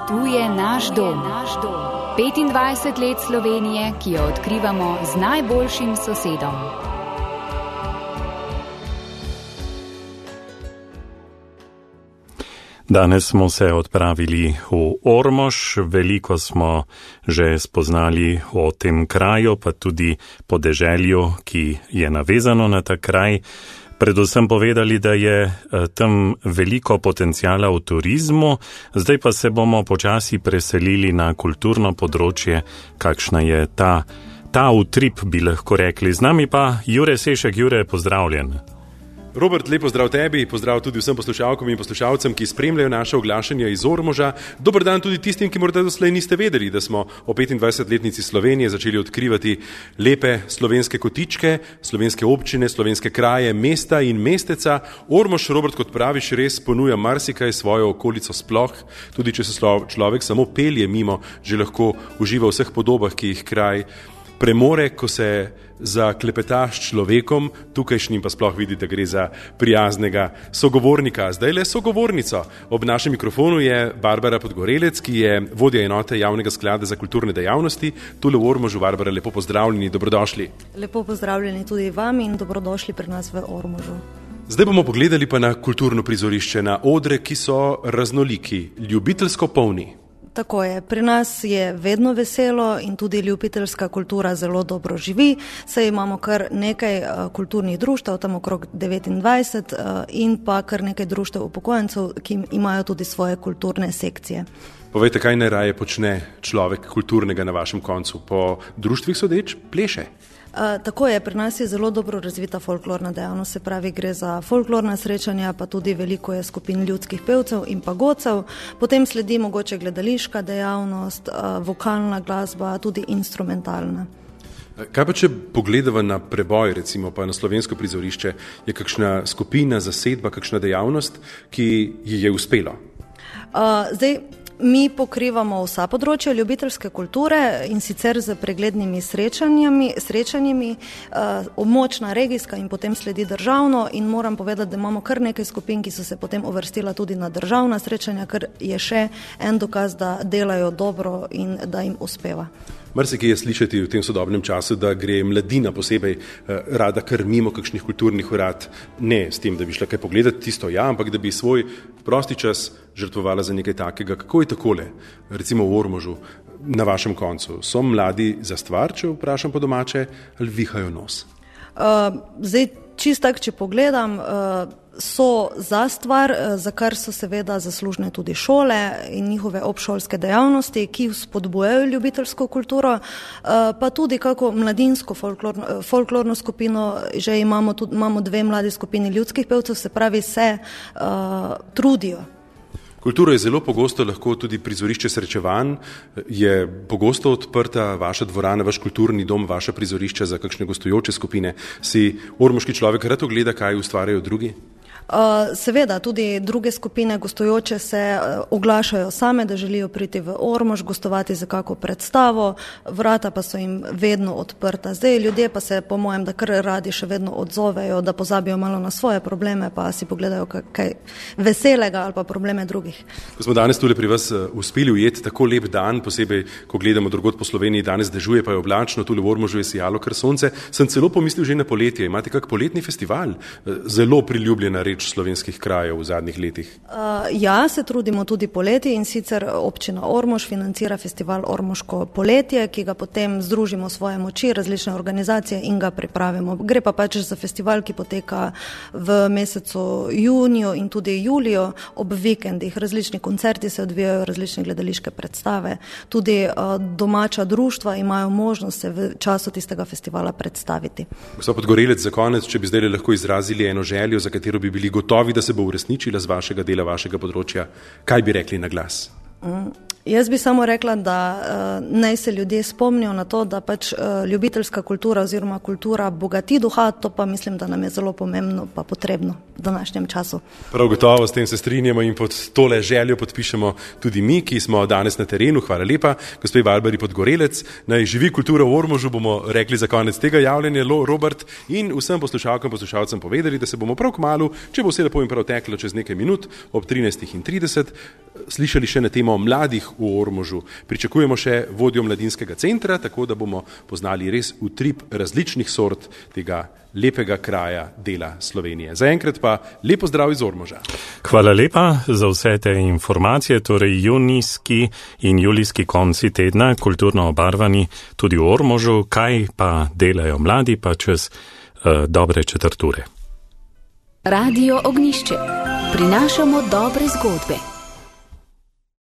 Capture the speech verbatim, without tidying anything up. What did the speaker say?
Tu je naš dom. petindvajset let Slovenije, ki jo odkrivamo z najboljšim sosedom. Danes smo se odpravili v Ormož, veliko smo že spoznali o tem kraju, pa tudi podeželju, ki je navezano na ta kraj. Predvsem povedali, da je tam veliko potencijala v turizmu, zdaj pa se bomo počasi preselili na kulturno področje, kakšna je ta, ta utrip, bi lahko rekli. Z nami pa Jure Sešek. Jure, pozdravljen. Robert, lep pozdrav tebi, pozdrav tudi vsem poslušalkom in poslušalcem, ki spremljajo naše oglašanje iz Ormoža. Dober dan tudi tistim, ki morda doslej niste vedeli, da smo o petindvajsetletnici Slovenije začeli odkrivati lepe slovenske kotičke, slovenske občine, slovenske kraje, mesta in mesteca. Ormož, Robert, kot praviš, res ponuja marsikaj svojo okolico sploh, tudi če se človek samo pelje mimo, že lahko uživa v vseh podobah, ki jih kraj premore, ko se zaklepetaš človekom, tukajšnjim pa sploh vidi, da gre za prijaznega sogovornika. Zdaj le sogovornico. Ob našem mikrofonu je Barbara Podgorelec, ki je vodja enote Javnega sklada za kulturne dejavnosti. Tule v Ormožu. Barbara, lepo pozdravljeni, dobrodošli. Lepo pozdravljeni tudi vam in dobrodošli pri nas v Ormožu. Zdaj bomo pogledali pa na kulturno prizorišče, na odre, ki so raznoliki, ljubiteljsko polni. Tako je, pri nas je vedno veselo in tudi ljubiteljska kultura zelo dobro živi, saj imamo kar nekaj uh, kulturnih društev, tam okrog devetindvajset uh, in pa kar nekaj društev upokojencev, ki imajo tudi svoje kulturne sekcije. Povejte, kaj najraje počne človek kulturnega na vašem koncu? Po društvih sodeč pleše? Uh, tako je, pri nas je zelo dobro razvita folklorna dejavnost, se pravi, gre za folklorna srečanja, pa tudi veliko je skupin ljudskih pevcev in pagodcev, potem sledi mogoče gledališka dejavnost, uh, vokalna glasba, tudi instrumentalna. Kaj pa, če pogledava na preboj, recimo pa na slovensko prizorišče, je kakšna skupina, zasedba, kakšna dejavnost, ki ji je uspelo? Uh, zdaj, Mi pokrivamo vsa področja ljubiteljske kulture in sicer z preglednimi srečanjami, srečanjami uh, območna, regijska in potem sledi državno in moram povedati, da imamo kar nekaj skupin, ki so se potem uvrstila tudi na državna srečanja, ker je še en dokaz, da delajo dobro in da jim uspeva. Marsikaj je slišati v tem sodobnem času, da gre mladina posebej eh, rada kar mimo kakšnih kulturnih urad, ne s tem, da bi šla kaj pogledati, tisto ja, ampak da bi svoj prosti čas žrtvovala za nekaj takega. Kako je takole, recimo v Ormožu, na vašem koncu? So mladi za stvar, če vprašam po domače, ali vihajo nos? Uh, zdaj, čist tak, če pogledam, uh, so za stvar, za kar so seveda zaslužne tudi šole in njihove obšolske dejavnosti, ki spodbujajo ljubiteljsko kulturo, pa tudi kako mladinsko folklorno, folklorno skupino, že imamo, tudi, imamo dve mladi skupini ljudskih pevcev, se pravi, se uh, trudijo. Kultura je zelo pogosto lahko tudi prizorišče srečevanj, je pogosto odprta vaša dvorana, vaš kulturni dom, vaša prizorišča za kakšne gostujoče skupine. Si ormoški človek rad ogleda, kaj ustvarjajo drugi? Uh, seveda, tudi druge skupine gostujoče se uh, oglašajo same, da želijo priti v Ormož, gostovati za kako predstavo, vrata pa so jim vedno odprta. Zdaj ljudje pa se, po mojem, da kar radi še vedno odzovejo, da pozabijo malo na svoje probleme, pa si pogledajo kaj veselega ali pa probleme drugih. Ko smo danes tule pri vas uh, uspeli ujeti tako lep dan, posebej, ko gledamo drugod po Sloveniji, danes dežuje, pa je oblačno, tule v Ormožu je sijalo kar sonce, sem celo pomislil že na poletje. Imate kak poletni festival? Uh, zelo priljubljena reč slovenskih krajev v zadnjih letih. Uh, ja, se trudimo tudi poleti in sicer občina Ormož financira festival Ormoško poletje, ki ga potem združimo svoje moči, različne organizacije in ga pripravimo. Gre pa pač za festival, ki poteka v mesecu juniju in tudi juliju ob vikendih. Različni koncerti se odvijajo, različne gledališke predstave. Tudi uh, domača društva imajo možnost se v času tistega festivala predstaviti. Gospod Podgorelec, za konec, če bi zdaj lahko izrazili eno željo, za katero bi bili gotovi, da se bo uresničila z vašega dela, vašega področja, kaj bi rekli na glas? Mm. Jaz bi samo rekla, da uh, naj se ljudje spomnijo na to, da pač uh, ljubiteljska kultura oziroma kultura bogati duha, to pa mislim, da nam je zelo pomembno pa potrebno v današnjem času. Prav gotovo, s tem se strinjamo in pod tole željo podpišemo tudi mi, ki smo danes na terenu. Hvala lepa, gospe Barbari Podgorelec. Naj živi kultura v Ormožu, bomo rekli za konec tega javljanja, Robert, in vsem poslušalkam, poslušalcem povedali, da se bomo prav kmalu, če bo vse lepo in prav teklo čez nekaj minut, ob trinajstih trideset, slišali še na temo mladih v Ormožu. Pričakujemo še vodjo mladinskega centra, tako da bomo poznali res utrip različnih sort tega lepega kraja dela Slovenije. Zaenkrat pa lepo zdrav iz Ormoža. Hvala lepa za vse te informacije, torej junijski in julijski konci tedna, kulturno obarvani tudi v Ormožu, kaj pa delajo mladi pa čez uh, dobre četrt ure. Radio Ognjišče. Prinašamo dobre zgodbe.